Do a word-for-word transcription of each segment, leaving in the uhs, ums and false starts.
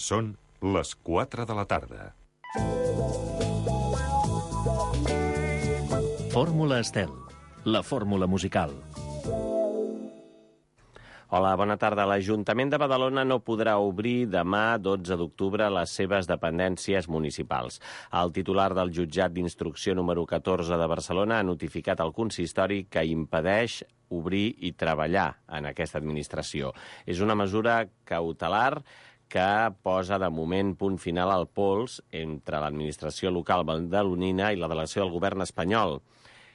Són les quatre de la tarda. Fórmula Estel, la fórmula musical. Hola, bona tarda. L'Ajuntament de Badalona no podrà obrir demà, dotze d'octubre, les seves dependències municipals. El titular del jutjat d'instrucció número catorze de Barcelona ha notificat al consistori que impedeix obrir i treballar en aquesta administració. És una mesura cautelar que posa de moment punt final al pols entre l'administració local badalonina i la delegació del govern espanyol,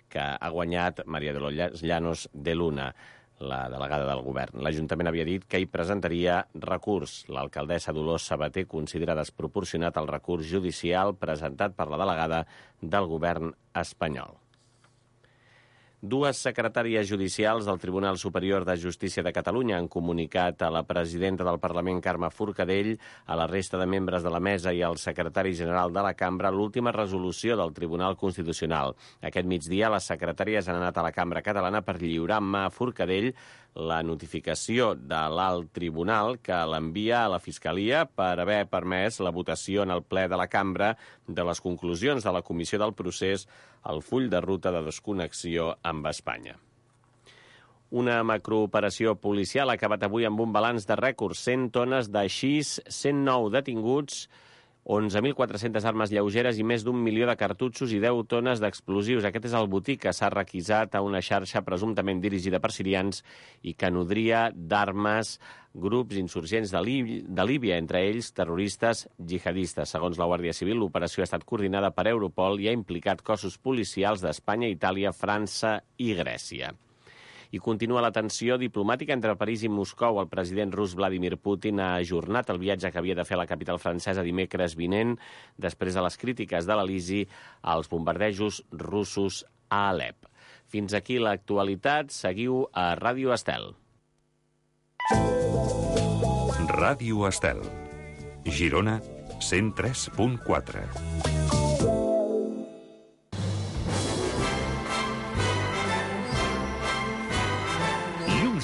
que ha guanyat María de los Llanos de Luna, la delegada del govern. L'Ajuntament havia dit que hi presentaria recurs. L'alcaldessa Dolors Sabater considera desproporcionat el recurs judicial presentat per la delegada del govern espanyol. Dues secretàries judicials del Tribunal Superior de Justícia de Catalunya han comunicat a la presidenta del Parlament, Carme Forcadell, a la resta de membres de la mesa i al secretari general de la cambra l'última resolució del Tribunal Constitucional. Aquest migdia, les secretàries han anat a la cambra catalana per lliurar en mà a Forcadell la notificació de l'alt tribunal que l'envia a la Fiscalia per haver permès la votació en el ple de la cambra de les conclusions de la Comissió del Procés al full de ruta de desconnexió amb Espanya. Una macrooperació policial ha acabat avui amb un balanç de rècord, cent tones de haixís, cent nou detinguts, onze mil quatre-centes armes lleugeres i més d'un milió de cartutxos i deu tones d'explosius. Aquest és el botí que s'ha requisat a una xarxa presumptament dirigida per sirians i que nodria d'armes grups insurgents de, Líbia, de Líbia, entre ells terroristes jihadistes. Segons la Guàrdia Civil, l'operació ha estat coordinada per Europol i ha implicat cossos policials d'Espanya, Itàlia, França i Grècia. I continua la tensió diplomàtica entre París i Moscou. El president rus Vladimir Putin ha ajornat el viatge que havia de fer a la capital francesa dimecres vinent, després de les crítiques de l'Elisi als bombardejos russos a Alep. Fins aquí l'actualitat. Seguiu a Ràdio Estel. Ràdio Estel. Girona, cent tres punt quatre.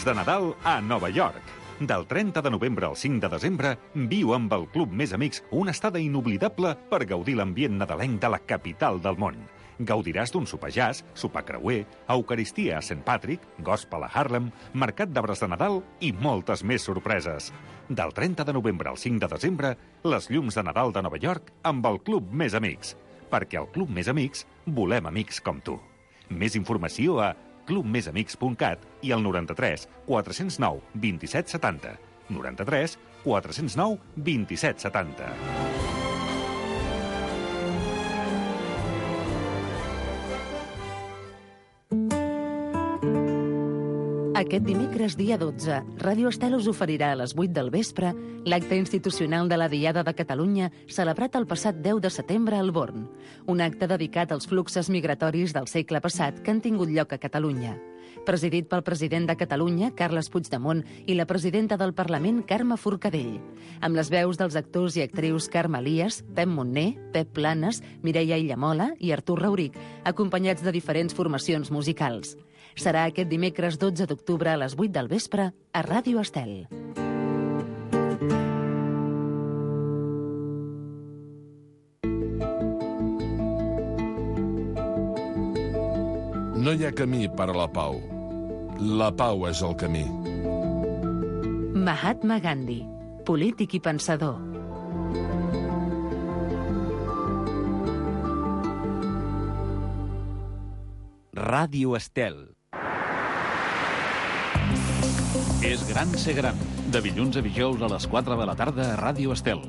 De Nadal a Nova York. Del trenta de novembre al cinc de desembre, viu amb el Club Més Amics una estada inoblidable per gaudir l'ambient nadalenc de la capital del món. Gaudiràs d'un sopar jazz, sopar creuer, eucaristia a Saint Patrick, gospel a Harlem, mercat d'arbres de Nadal i moltes més sorpreses. Del trenta de novembre al cinc de desembre, les llums de Nadal de Nova York amb el Club Més Amics. Perquè al Club Més Amics volem amics com tu. Més informació a club més amics punt cat i al noranta-tres quatre cents nou vint-i-set setanta. noranta-tres quatre cents nou vint-i-set setanta. Aquest dimecres, dia dotze, Ràdio Estel us oferirà a les vuit del vespre l'acte institucional de la Diada de Catalunya celebrat el passat deu de setembre al Born, un acte dedicat als fluxos migratoris del segle passat que han tingut lloc a Catalunya. Presidit pel president de Catalunya, Carles Puigdemont, i la presidenta del Parlament, Carme Forcadell, amb les veus dels actors i actrius Carme Elias, Pep Montner, Pep Planes, Mireia Illamola i Artur Rauric, acompanyats de diferents formacions musicals. Serà aquest dimecres dotze d'octubre a les vuit del vespre a Ràdio Estel. No hi ha camí per a la pau. La pau és el camí. Mahatma Gandhi, polític i pensador. Ràdio Estel. És gran ser gran, de dilluns a dijous a les quatre de la tarda a Ràdio Estel.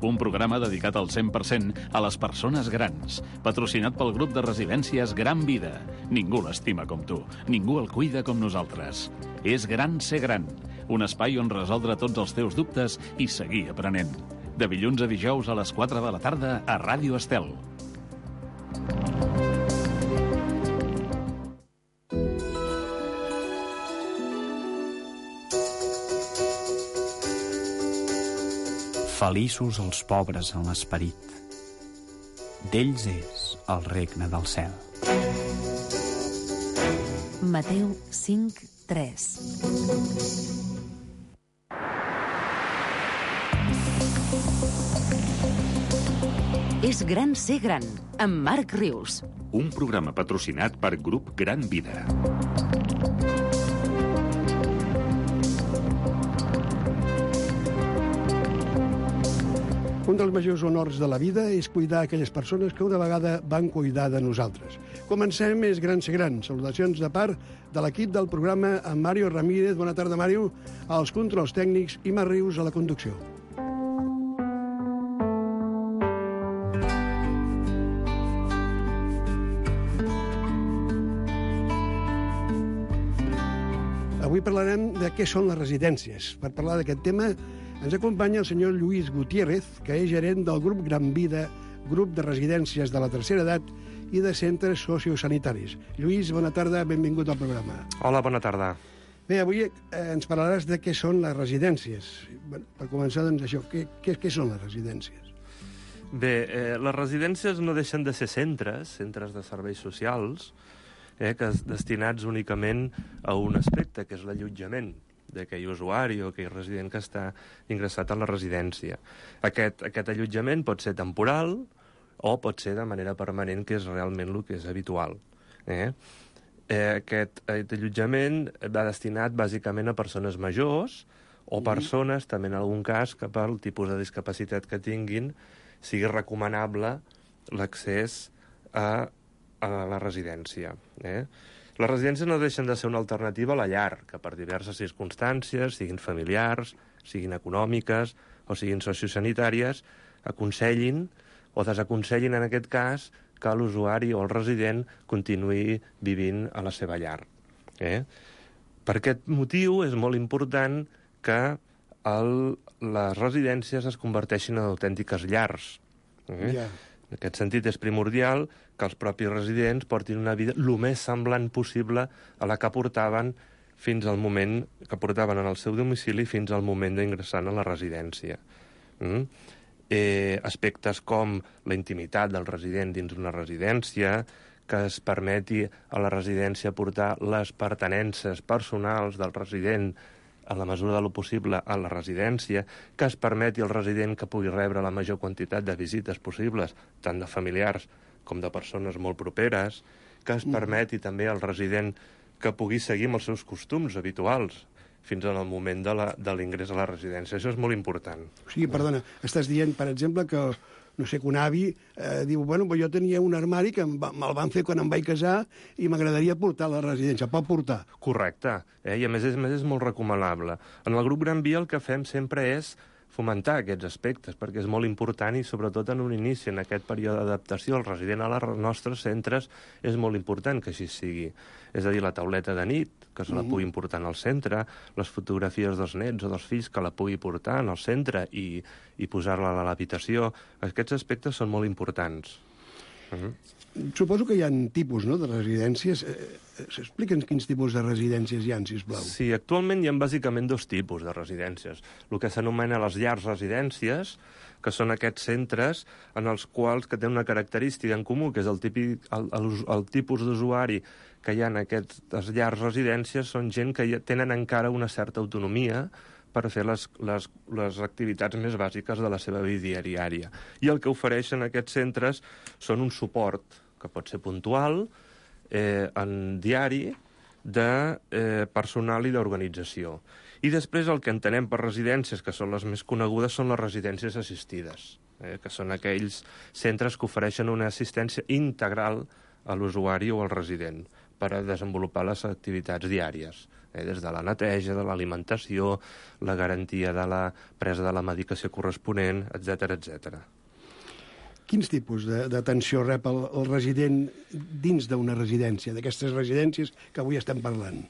Un programa dedicat al cent per cent a les persones grans, patrocinat pel grup de residències Gran Vida. Ningú l'estima com tu, ningú el cuida com nosaltres. És gran ser gran, un espai on resoldre tots els teus dubtes i seguir aprenent. De dilluns a dijous a les quatre de la tarda a Ràdio Estel. Feliços els pobres en l'esperit. D'ells és el regne del cel. Mateu cinc, tres. És Gran Ser Gran, amb Marc Rius. Un programa patrocinat per Grup Gran Vida. Un dels majors honors de la vida és cuidar aquelles persones que una vegada van cuidar de nosaltres. Comencem És Gran Ser Gran. Salutacions de part de l'equip del programa amb Mario Ramírez. Bona tarda, Mario, als controls tècnics i Marc Rius a la conducció. Avui parlarem de què són les residències. Per parlar d'aquest tema ens acompanya el senyor Lluís Gutiérrez, que és gerent del grup Gran Vida, grup de residències de la tercera edat i de centres sociosanitaris. Lluís, bona tarda, benvingut al programa. Hola, bona tarda. Bé, avui eh, ens parlaràs de què són les residències. Bé, per començar, doncs, això, què, què, què són les residències? Bé, eh, les residències no deixen de ser centres, centres de serveis socials, eh, que es destinats únicament a un aspecte, que és l'allotjament d'aquell usuari o aquell resident que està ingressat a la residència. Aquest, aquest allotjament pot ser temporal o pot ser de manera permanent, que és realment el que és habitual. Eh? Eh, aquest, aquest allotjament va destinat bàsicament a persones majors o persones, també en algun cas, que pel tipus de discapacitat que tinguin sigui recomanable l'accés a, a la residència. Eh? Les residències no deixen de ser una alternativa a la llar, que per diverses circumstàncies, siguin familiars, siguin econòmiques o siguin sociosanitàries, aconsellin o desaconsellin, en aquest cas, que l'usuari o el resident continuï vivint a la seva llar. Eh? Per aquest motiu és molt important que el, les residències es converteixin en autèntiques llars. Eh? Yeah. En aquest sentit, és primordial que els propis residents portin una vida el més semblant possible a la que portaven fins al moment que portaven en el seu domicili fins al moment d'ingressar a la residència. Mm? Eh, aspectes com la intimitat del resident dins d'una residència, que es permeti a la residència portar les pertinences personals del resident a la mesura de lo possible a la residència, que es permeti al resident que pugui rebre la major quantitat de visites possibles, tant de familiars com de persones molt properes, que es permeti també al resident que pugui seguir amb els seus costums habituals fins al moment de l'ingrés a la residència. Això és molt important. O sigui, perdona, estàs dient, per exemple, que no sé, que un avi eh, diu, bueno, jo tenia un armari que me'l van fer quan em vaig casar i m'agradaria portar a la residència. Pot portar? Correcte. Eh? I a més, és, a més és molt recomanable. En el grup Gran Via el que fem sempre és fomentar aquests aspectes, perquè és molt important i sobretot en un inici, en aquest període d'adaptació, el resident a els nostres centres és molt important que així sigui. És a dir, la tauleta de nit, que se la pugui portar al centre, les fotografies dels nets o dels fills que la pugui portar al centre i, i posar-la a l'habitació. Aquests aspectes són molt importants. Uh-huh. Suposo que hi ha tipus, no?, de residències. Explica'ns quins tipus de residències hi ha, sisplau. Sí, actualment hi ha bàsicament dos tipus de residències. El que s'anomena les llars residències, que són aquests centres en els quals que tenen una característica en comú, que és el, típic, el, el, el tipus d'usuari que hi ha en aquestes llars residències, són gent que tenen encara una certa autonomia per fer les, les, les activitats més bàsiques de la seva vida diària. I el que ofereixen aquests centres són un suport, que pot ser puntual, eh, en diari, de eh, personal i d'organització. I després el que entenem per residències, que són les més conegudes, són les residències assistides, eh, que són aquells centres que ofereixen una assistència integral a l'usuari o al resident per a desenvolupar les activitats diàries, eh, des de la neteja, de l'alimentació, la garantia de la presa de la medicació corresponent, etcètera, etcètera. Quins tipus d'atenció rep el, el resident dins d'una residència, d'aquestes residències que avui estem parlant?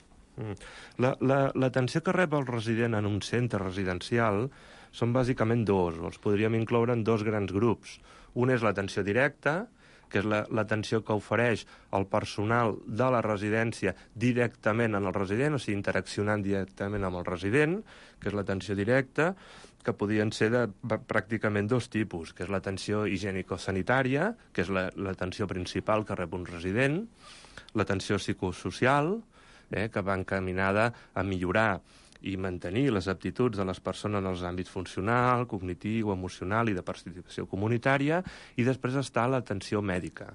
L'atenció que rep el resident en un centre residencial són bàsicament dos, o els podríem incloure en dos grans grups. Un és l'atenció directa, que és l'atenció que ofereix el personal de la residència directament en el resident, o sigui, interaccionant directament amb el resident, que és l'atenció directa, que podien ser de pràcticament dos tipus, que és l'atenció higiènico-sanitària, que és l'atenció principal que rep un resident, l'atenció psicosocial, eh, que va encaminada a millorar i mantenir les aptituds de les persones en els àmbits funcional, cognitiu, emocional i de participació comunitària, i després està l'atenció mèdica,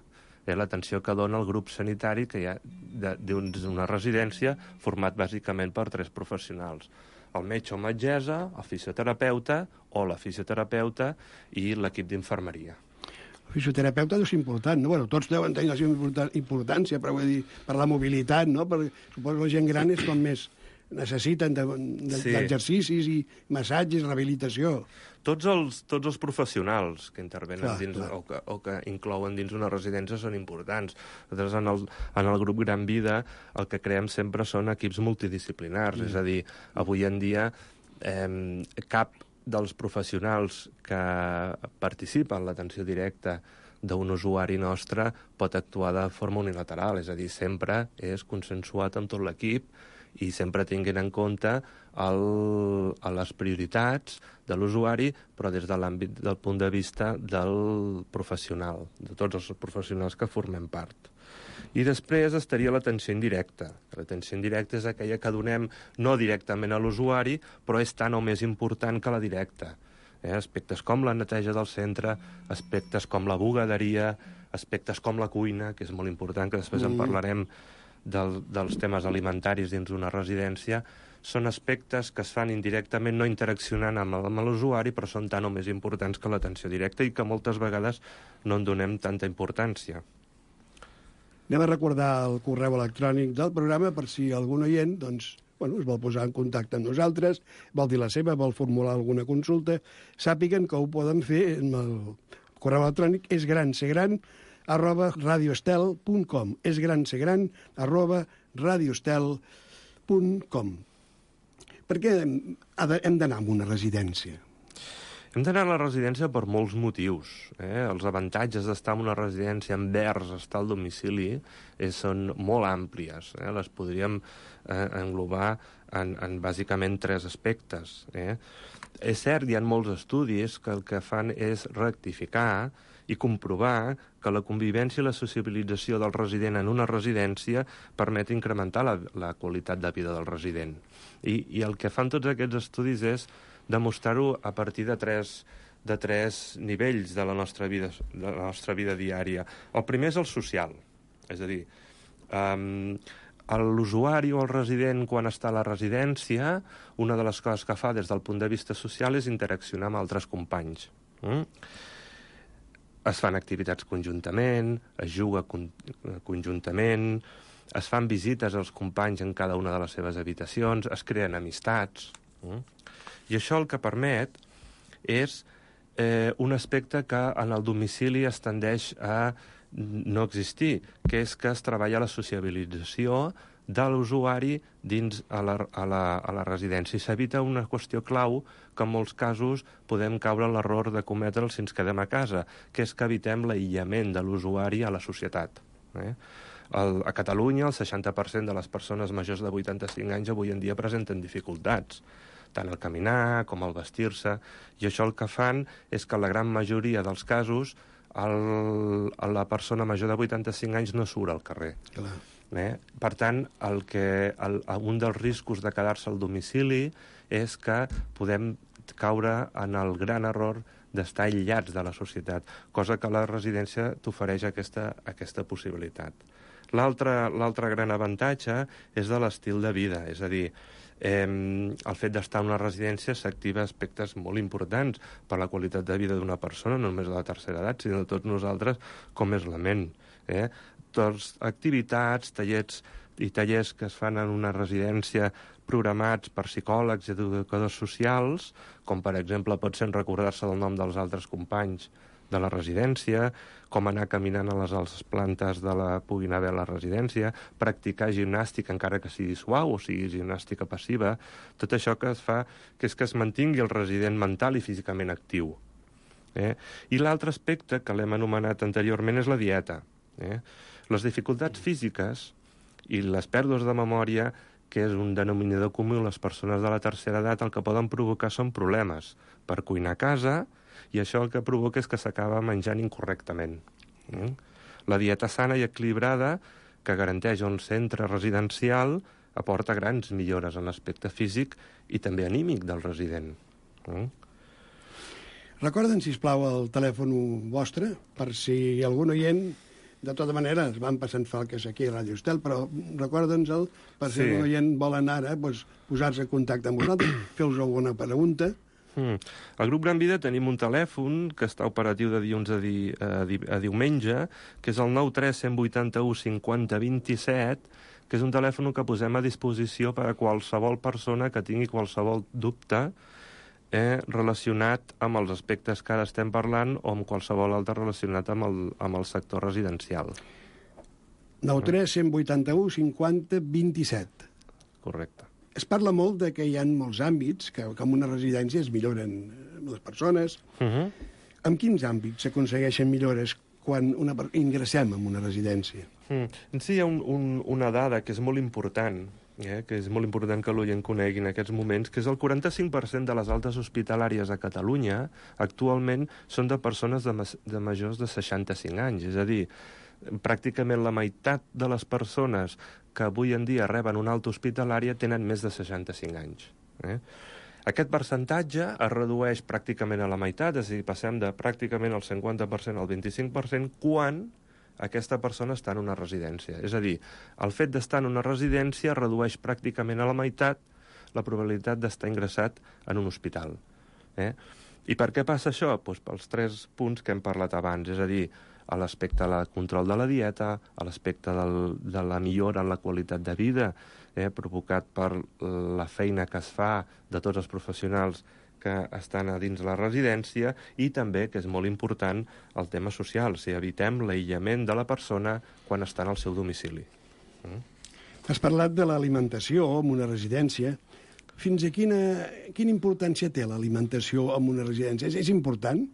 eh, l'atenció que dona el grup sanitari que hi ha d'una residència format bàsicament per tres professionals: el metge o metgessa, el fisioterapeuta o la fisioterapeuta i l'equip d'infermeria. El fisioterapeuta deu ser important, no? Bueno, tots deuen tenir la seva importància, però vull dir, per la mobilitat, no? Perquè suposo que la gent gran és com més necessiten d'exercicis i massatges, rehabilitació. Tots els, tots els professionals que intervenen clar, dins, clar. O, que, o que inclouen dins una residència són importants. Nosaltres en el, en el grup Gran Vida el que creem sempre són equips multidisciplinars, mm. és a dir, avui en dia eh, cap dels professionals que participen en l'atenció directa d'un usuari nostre pot actuar de forma unilateral, és a dir, sempre és consensuat amb tot l'equip i sempre tinguin en compte el, les prioritats de l'usuari, però des de l'àmbit del punt de vista del professional, de tots els professionals que formem part. I després estaria l'atenció indirecta. L'atenció indirecta és aquella que donem no directament a l'usuari, però és tan o més important que la directa. Eh? Aspectes com la neteja del centre, aspectes com la bugaderia, aspectes com la cuina, que és molt important, que després mm. en parlarem, del, dels temes alimentaris dins d'una residència, són aspectes que es fan indirectament, no interaccionant amb, amb l'usuari, però són tan o més importants que l'atenció directa i que moltes vegades no en donem tanta importància. Anem a recordar el correu electrònic del programa per si algun oient doncs, bueno, es vol posar en contacte amb nosaltres, vol dir la seva, vol formular alguna consulta, sàpiguen que ho poden fer amb el correu electrònic és gran ser gran arroba radioestel punt com és gran ser gran arroba radioestel punt com. Per què hem d'anar a una residència? Hem d'anar a la residència per molts motius. Eh? Els avantatges d'estar en una residència envers estar al domicili eh, són molt àmplies. Eh? Les podríem eh, englobar en, en bàsicament tres aspectes. Eh? És cert, hi ha molts estudis que el que fan és rectificar i comprovar que la convivència i la sociabilització del resident en una residència permet incrementar la, la qualitat de vida del resident. I, I el que fan tots aquests estudis és demostrar-ho a partir de tres, de tres nivells de la nostra vida, de la nostra vida diària. El primer és el social, és a dir, um, l'usuari o el resident, quan està a la residència, una de les coses que fa des del punt de vista social és interaccionar amb altres companys. Mm? Es fan activitats conjuntament, es juga con conjuntament, es fan visites als companys en cada una de les seves habitacions, es creen amistats. Mm? I això el que permet és eh, un aspecte que en el domicili es tendeix a no existir, que és que es treballa la sociabilització de l'usuari dins a la, a, la, a la residència. I s'evita una qüestió clau que en molts casos podem caure en l'error de cometre'l si ens quedem a casa, que és que evitem l'aïllament de l'usuari a la societat. Eh? El, a Catalunya, el seixanta per cent de les persones majors de vuitanta-cinc anys avui en dia presenten dificultats, tant al caminar com al vestir-se, i això el que fan és que la gran majoria dels casos el, la persona major de vuitanta-cinc anys no surt al carrer. Clar. Eh? Per tant, el que, el, un dels riscos de quedar-se al domicili és que podem caure en el gran error d'estar aïllats de la societat, cosa que la residència t'ofereix aquesta, aquesta possibilitat. L'altre gran avantatge és de l'estil de vida, és a dir, eh, el fet d'estar en una residència s'activa aspectes molt importants per la qualitat de vida d'una persona, no només de la tercera edat, sinó de tots nosaltres, com és la ment. Eh? Tots activitats, tallers i tallers que es fan en una residència programats per psicòlegs i educadors socials, com per exemple pot ser recordar-se del nom dels altres companys de la residència, com anar caminant a les altres plantes de la puguin haver a la residència, practicar gimnàstica encara que sigui suau o sigui gimnàstica passiva, tot això que es fa que és que es mantingui el resident mental i físicament actiu. Eh? I l'altre aspecte que l'hem anomenat anteriorment és la dieta. Eh? Les dificultats físiques i les pèrdues de memòria, que és un denominador comú, les persones de la tercera edat el que poden provocar són problemes per cuinar a casa, i això el que provoca és que s'acaba menjant incorrectament. Mm? La dieta sana i equilibrada, que garanteix un centre residencial, aporta grans millores en l'aspecte físic i també anímic del resident. Mm? Recorden, sisplau, el telèfon vostre, per si algun oient, de tota manera, es van passant falques aquí a Ràdio Estel, però recorda'ns-el, per si Sí. algun oient volen ara doncs, posar-se en contacte amb vosaltres, fer-vos alguna pregunta. Mm. Al grup Gran Vida tenim un telèfon que està operatiu de dilluns a, di, a, di, a diumenge, que és el nou tres cent vuitanta-u cinquanta vint-i-set, que és un telèfon que posem a disposició per a qualsevol persona que tingui qualsevol dubte eh, relacionat amb els aspectes que ara estem parlant o amb qualsevol altre relacionat amb el, amb el sector residencial. nou tres cent vuitanta-u cinquanta vint-i-set. Correcte. Es parla molt de que hi ha molts àmbits que, que en una residència es milloren les persones. Uh -huh. En quins àmbits s'aconsegueixen millores quan una, ingressem en una residència? Mm. Sí, hi ha un, un, una dada que és molt important, eh, que és molt important que l'oient conegui en aquests moments, que és el quaranta-cinc per cent de les altes hospitalàries a Catalunya actualment són de persones de, de majors de seixanta-cinc anys. És a dir, pràcticament la meitat de les persones que avui en dia reben una alta hospitalària tenen més de seixanta-cinc anys. Eh? Aquest percentatge es redueix pràcticament a la meitat, és a dir, passem de pràcticament el cinquanta per cent al vint-i-cinc per cent quan aquesta persona està en una residència. És a dir, el fet d'estar en una residència redueix pràcticament a la meitat la probabilitat d'estar ingressat en un hospital. Eh? I per què passa això? Doncs pels tres punts que hem parlat abans, és a dir, a l'aspecte del control de la dieta, a l'aspecte de la millora en la qualitat de vida, eh, provocat per la feina que es fa de tots els professionals que estan a dins la residència, i també, que és molt important, el tema social, si evitem l'aïllament de la persona quan està en el seu domicili. Mm? Has parlat de l'alimentació en una residència. Fins a quina, quina importància té l'alimentació en una residència? És, és important?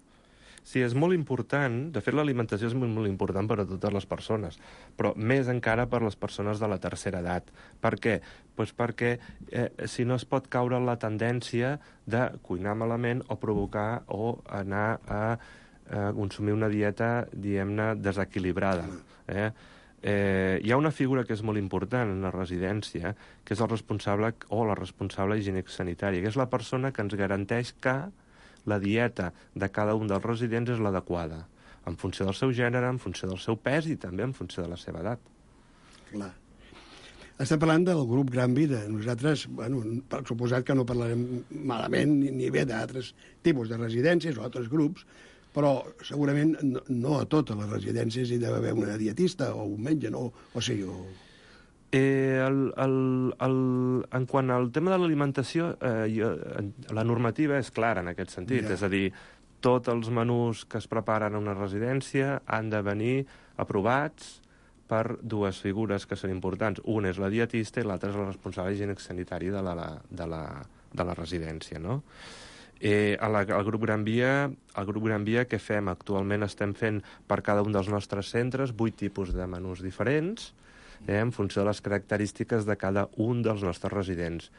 Sí, és molt important. De fet, l'alimentació és molt, molt important per a totes les persones, però més encara per a les persones de la tercera edat. Per què? Pues perquè eh, si no es pot caure en la tendència de cuinar malament o provocar o anar a eh, consumir una dieta, diguem-ne, desequilibrada. Eh? Eh, hi ha una figura que és molt important en la residència, que és el responsable o la responsable higiènic-sanitària, que és la persona que ens garanteix que la dieta de cada un dels residents és l'adequada, en funció del seu gènere, en funció del seu pes i també en funció de la seva edat. Clar. Estem parlant del grup Gran Vida. Nosaltres, bueno, per suposat que no parlarem malament ni, ni bé d'altres tipus de residències o altres grups, però segurament no, no a totes les residències hi deu haver una dietista o un metge, no? O sigui, o... Eh, el, el, el, en quant al tema de l'alimentació, eh, jo, la normativa és clara en aquest sentit. Yeah. És a dir, tots els menús que es preparen a una residència han de venir aprovats per dues figures que són importants. Una és la dietista i l'altra és la responsable higiènic-sanitari de la, de la, de la residència, no? Eh, a la, al grup Gran Via, al grup Gran Via, què fem? Actualment estem fent per cada un dels nostres centres vuit tipus de menús diferents, eh, en funció de les característiques de cada un dels nostres residents.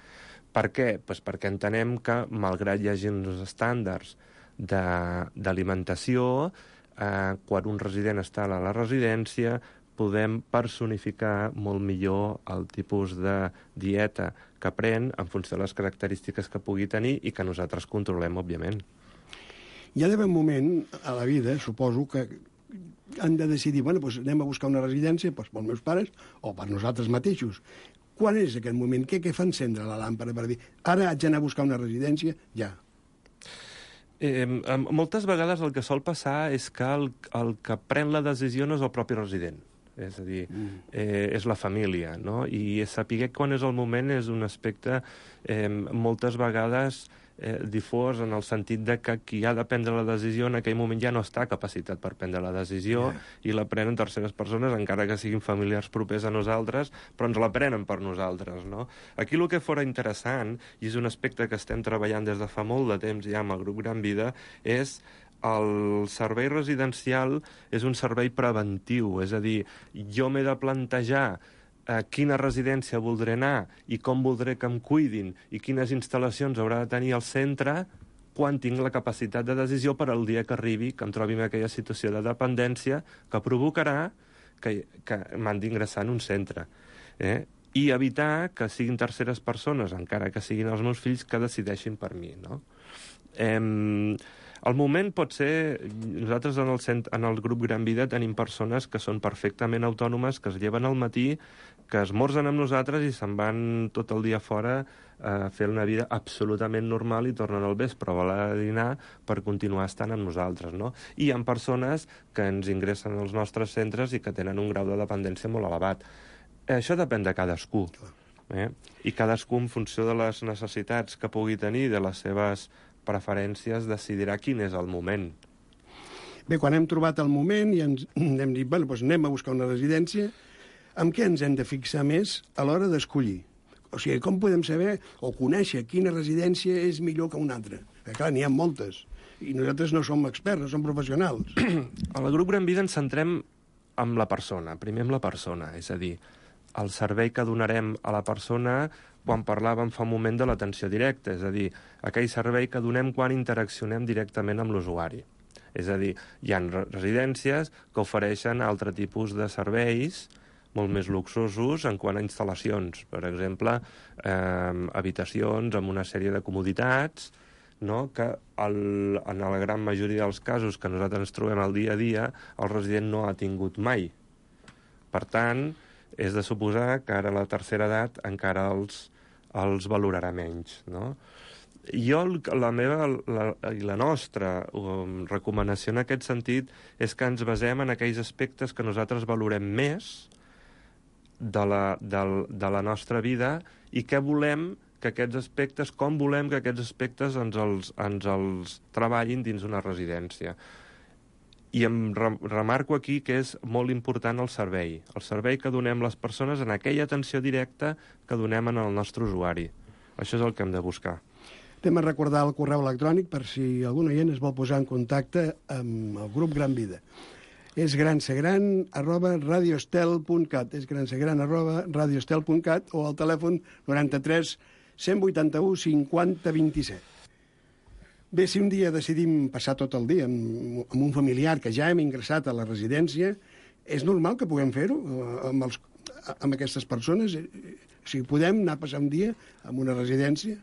Per què? Pues perquè entenem que, malgrat hi hagi uns estàndards d'alimentació, eh, quan un resident està a la residència, podem personificar molt millor el tipus de dieta que pren en funció de les característiques que pugui tenir i que nosaltres controlem, òbviament. Hi ha d'haver un moment a la vida, suposo, que han de decidir, bueno, doncs anem a buscar una residència doncs, pels meus pares o per nosaltres mateixos. Quan és aquest moment? Què, què fa encendre la làmpara per dir ara haig d'anar a buscar una residència? Ja. Eh, moltes vegades el que sol passar és que el, el que pren la decisió no és el propi resident. És a dir, eh, és la família, no? I saber quan és el moment és un aspecte eh, moltes vegades eh, difós en el sentit de que qui ha de prendre la decisió en aquell moment ja no està capacitat per prendre la decisió yeah. i la prenen terceres persones, encara que siguin familiars propers a nosaltres, però ens la prenen per nosaltres, no? Aquí el que fora interessant, i és un aspecte que estem treballant des de fa molt de temps ja amb el grup Gran Vida, és el servei residencial és un servei preventiu, és a dir, jo m'he de plantejar a quina residència voldré anar i com voldré que em cuidin i quines instal·lacions haurà de tenir el centre quan tinc la capacitat de decisió per al dia que arribi, que em trobi en aquella situació de dependència que provocarà que, que m'han d'ingressar en un centre. Eh? i evitar que siguin terceres persones, encara que siguin els meus fills, que decideixin per mi, no? Eh, el moment pot ser... Nosaltres en el, cent, en el grup Gran Vida tenim persones que són perfectament autònomes, que es lleven al matí, que esmorzen amb nosaltres i se'n van tot el dia fora a fer una vida absolutament normal i tornen al vespre a voler dinar per continuar estant amb nosaltres, no? I hi ha persones que ens ingressen als nostres centres i que tenen un grau de dependència molt elevat. Això depèn de cadascú. Eh? I cadascú, en funció de les necessitats que pugui tenir, de les seves preferències, decidirà quin és el moment. Bé, quan hem trobat el moment i ens hem dit, bueno, doncs anem a buscar una residència, amb què ens hem de fixar més a l'hora d'escollir? O sigui, com podem saber o conèixer quina residència és millor que una altra? Perquè, clar, n'hi ha moltes. I nosaltres no som experts, no som professionals. Al grup Gran Vida ens centrem en la persona, primer en la persona, és a dir, el servei que donarem a la persona quan parlàvem fa un moment de l'atenció directa, és a dir, aquell servei que donem quan interaccionem directament amb l'usuari. És a dir, hi ha residències que ofereixen altre tipus de serveis molt més luxosos en quant a instal·lacions. Per exemple, eh, habitacions amb una sèrie de comoditats, no? Que el, en la gran majoria dels casos que nosaltres ens trobem al dia a dia, el resident no ha tingut mai. Per tant, és de suposar que ara a la tercera edat encara els, els valorarà menys, no? Jo, la meva la, i la nostra um, recomanació en aquest sentit és que ens basem en aquells aspectes que nosaltres valorem més de la, de, de la nostra vida i què volem que aquests aspectes, com volem que aquests aspectes ens els, ens els treballin dins una residència. I em remarco aquí que és molt important el servei, el servei que donem les persones en aquella atenció directa que donem en el nostre usuari. Això és el que hem de buscar. Anem a recordar el correu electrònic per si algun oient es vol posar en contacte amb el grup Gran Vida. És gransegran arroba radiostel punt cat, és gransegran arroba radiostel punt cat o al telèfon noranta-tres cent vuitanta-u cinquanta vint-i-set. Bé, si un dia decidim passar tot el dia amb, amb un familiar que ja hem ingressat a la residència, és normal que puguem fer-ho amb, els, amb aquestes persones? O sigui, podem anar a passar un dia en una residència?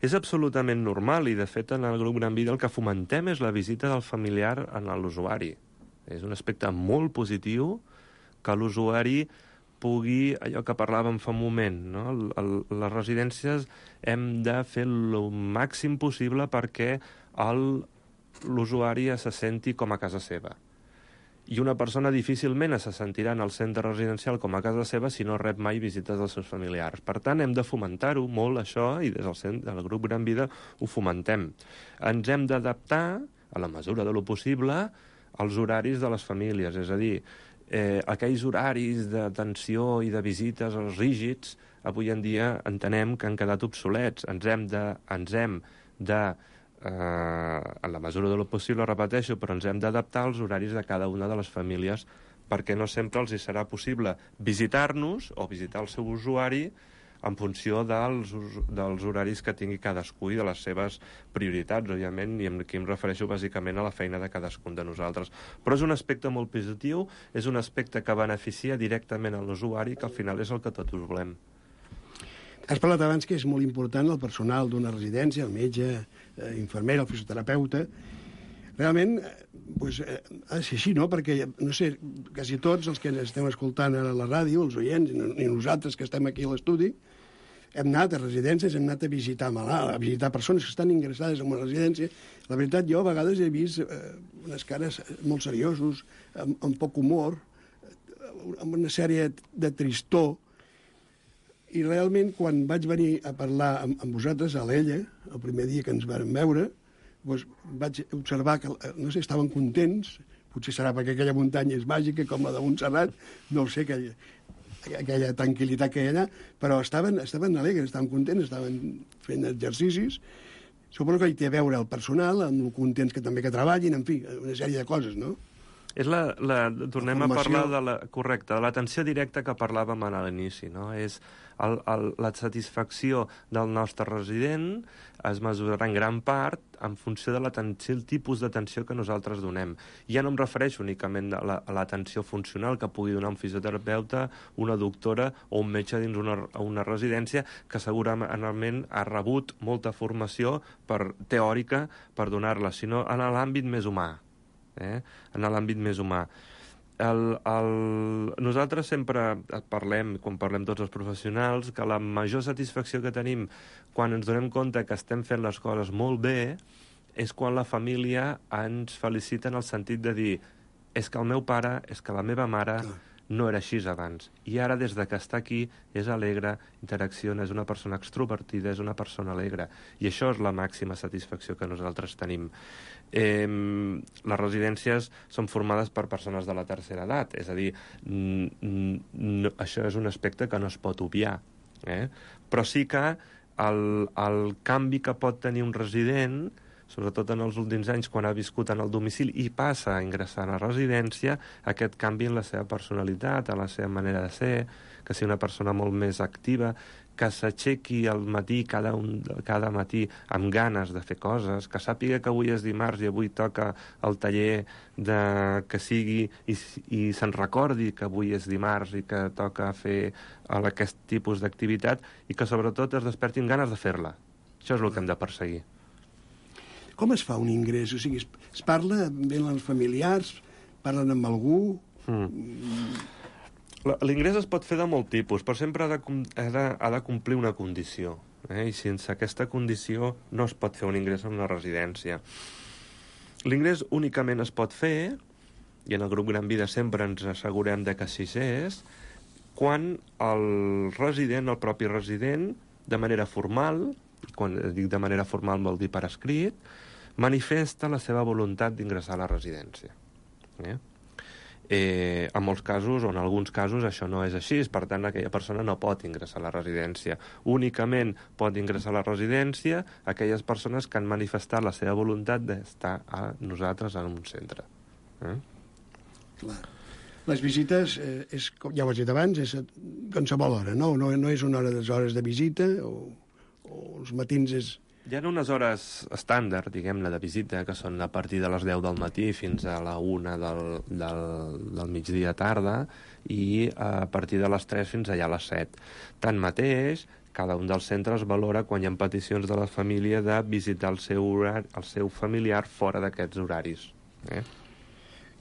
És absolutament normal i, de fet, en el grup Gran Vida el que fomentem és la visita del familiar a l'usuari. És un aspecte molt positiu que l'usuari pugui, allò que parlàvem fa un moment, no? El, el, les residències hem de fer el màxim possible perquè l'usuari se senti com a casa seva. I una persona difícilment se sentirà en el centre residencial com a casa seva si no rep mai visites dels seus familiars. Per tant, hem de fomentar-ho molt, això, i des del, centre, del grup Gran Vida ho fomentem. Ens hem d'adaptar, a la mesura de lo possible, als horaris de les famílies, és a dir, eh, aquells horaris d'atenció i de visites als rígids, avui en dia entenem que han quedat obsolets. Ens hem de, ens hem de eh, en la mesura de lo possible, repeteixo, però ens hem d'adaptar als horaris de cada una de les famílies perquè no sempre els hi serà possible visitar-nos o visitar el seu usuari en funció dels, dels horaris que tingui cadascú i de les seves prioritats, òbviament, i aquí em refereixo bàsicament a la feina de cadascun de nosaltres. Però és un aspecte molt positiu, és un aspecte que beneficia directament a l'usuari, que al final és el que tots volem. Has parlat abans que és molt important el personal d'una residència, el metge, eh, infermera, el fisioterapeuta. Realment, doncs, eh, ha de ser així, no? Perquè, no sé, quasi tots els que estem escoltant a la ràdio, els oients, i nosaltres que estem aquí a l'estudi, hem anat a residències, hem anat a visitar malalts, a visitar persones que estan ingressades en una residència. La veritat, jo a vegades he vist eh, unes cares molt seriosos, amb, amb poc humor, amb una sèrie de tristor, i realment, quan vaig venir a parlar amb, amb vosaltres, a l'Ella, el primer dia que ens vam veure, doncs vaig observar que, no sé, estaven contents, potser serà perquè aquella muntanya és màgica, com la de Montserrat, no ho sé, aquella, aquella tranquil·litat que hi ha allà, però estaven, estaven alegres, estaven contents, estaven fent exercicis. Suposo que hi té a veure el personal, amb el contents que també que treballin, en fi, una sèrie de coses, no? És la, la, tornem la a parlar de la, correcte, de l'atenció directa que parlàvem a l'inici, no? És el, el, la satisfacció del nostre resident es mesurarà en gran part en funció de l'atenció, el tipus d'atenció que nosaltres donem. Ja no em refereixo únicament a la, a l'atenció funcional que pugui donar un fisioterapeuta, una doctora o un metge dins una, una residència que segurament ha rebut molta formació per, teòrica per donar-la, sinó en l'àmbit més humà. Eh? En l'àmbit més humà. El, el... Nosaltres sempre parlem, quan parlem tots els professionals, que la major satisfacció que tenim quan ens donem compte que estem fent les coses molt bé és quan la família ens felicita en el sentit de dir és que el meu pare, és que la meva mare no era així abans. I ara, des de que està aquí, és alegre, interacciona, és una persona extrovertida, és una persona alegre. I això és la màxima satisfacció que nosaltres tenim. Eh, les residències són formades per persones de la tercera edat, és a dir, no, això és un aspecte que no es pot obviar. Eh? Però sí que el, el canvi que pot tenir un resident, sobretot en els últims anys, quan ha viscut en el domicili i passa a ingressar a la residència, aquest canvi en la seva personalitat, en la seva manera de ser, que sigui una persona molt més activa, que s'aixequi al matí, cada, un, cada matí, amb ganes de fer coses, que sàpiga que avui és dimarts i avui toca el taller de, que sigui, i, i se'n recordi que avui és dimarts i que toca fer aquest tipus d'activitat, i que sobretot es desperti amb ganes de fer-la. Això és el que hem de perseguir. Com es fa un ingrés? O sigui, es, es parla, venen els familiars, parlen amb algú... Mm. L'ingrés es pot fer de molt tipus, però sempre ha de, ha de, ha de complir una condició. Eh? I sense aquesta condició no es pot fer un ingrés en una residència. L'ingrés únicament es pot fer, i en el grup Gran Vida sempre ens assegurem de que així és, quan el resident, el propi resident, de manera formal, quan dic de manera formal vol dir per escrit, manifesta la seva voluntat d'ingressar a la residència. Eh? Eh, en molts casos, o en alguns casos, això no és així, per tant, aquella persona no pot ingressar a la residència. Únicament pot ingressar a la residència aquelles persones que han manifestat la seva voluntat d'estar a nosaltres en un centre. Eh? Clar. Les visites, eh, és, ja ho has dit abans, és a qualsevol hora, no? No, no és una hora de hores de visita, o, o els matins és... Hi ha unes hores estàndard, diguem-ne, de visita, que són a partir de les deu del matí fins a la una del, del, del migdia tarda, i a partir de les tres fins allà a les set. Tanmateix, cada un dels centres valora quan hi ha peticions de la família de visitar el seu, horari, el seu familiar fora d'aquests horaris. Eh?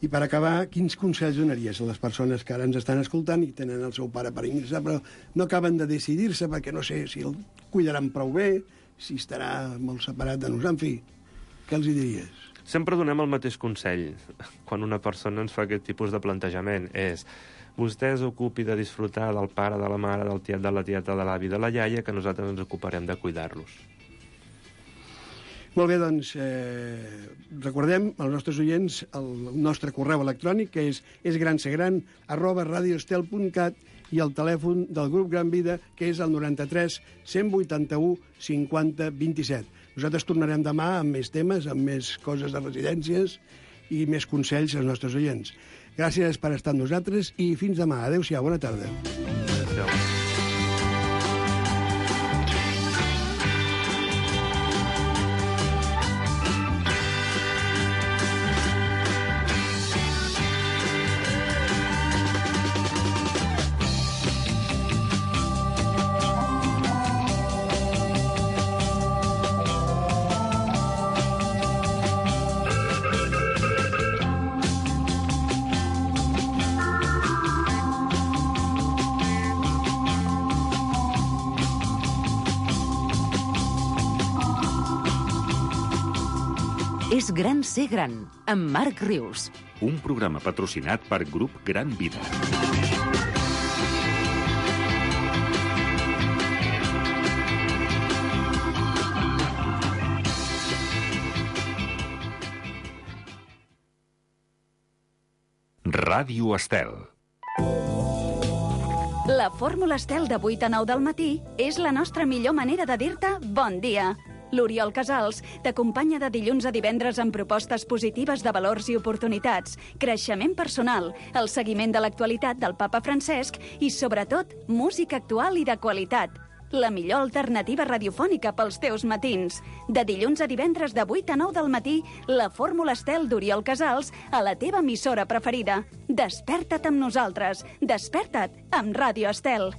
I per acabar, quins consells donaries a les persones que ara ens estan escoltant i tenen el seu pare per ingressar, però no acaben de decidir-se perquè no sé si el cuidaran prou bé, si estarà molt separat de nosaltres, en fi, què els hi diries? Sempre donem el mateix consell quan una persona ens fa aquest tipus de plantejament, és vostè s'ocupi de disfrutar del pare, de la mare, del tiet, de la tieta, de l'avi, de la iaia, que nosaltres ens ocuparem de cuidar-los. Molt bé, doncs, eh, recordem als nostres oients el nostre correu electrònic, que és esgransegran arroba radioestel punt cat, i el telèfon del grup Gran Vida, que és el noranta-tres cent vuitanta-u cinquanta vint-i-set. Nosaltres tornarem demà amb més temes, amb més coses de residències i més consells als nostres oients. Gràcies per estar amb nosaltres i fins demà. Adéu-siau, bona tarda. Adéu-siau. És gran ser gran, amb Marc Rius. Un programa patrocinat per Grup Gran Vida. Ràdio Estel. La fórmula Estel de vuit a nou del matí és la nostra millor manera de dir-te bon dia. L'Oriol Casals t'acompanya de dilluns a divendres amb propostes positives de valors i oportunitats, creixement personal, el seguiment de l'actualitat del papa Francesc i, sobretot, música actual i de qualitat. La millor alternativa radiofònica pels teus matins. De dilluns a divendres de vuit a nou del matí, la Fórmula Estel d'Oriol Casals a la teva emissora preferida. Desperta't amb nosaltres. Desperta't amb Ràdio Estel.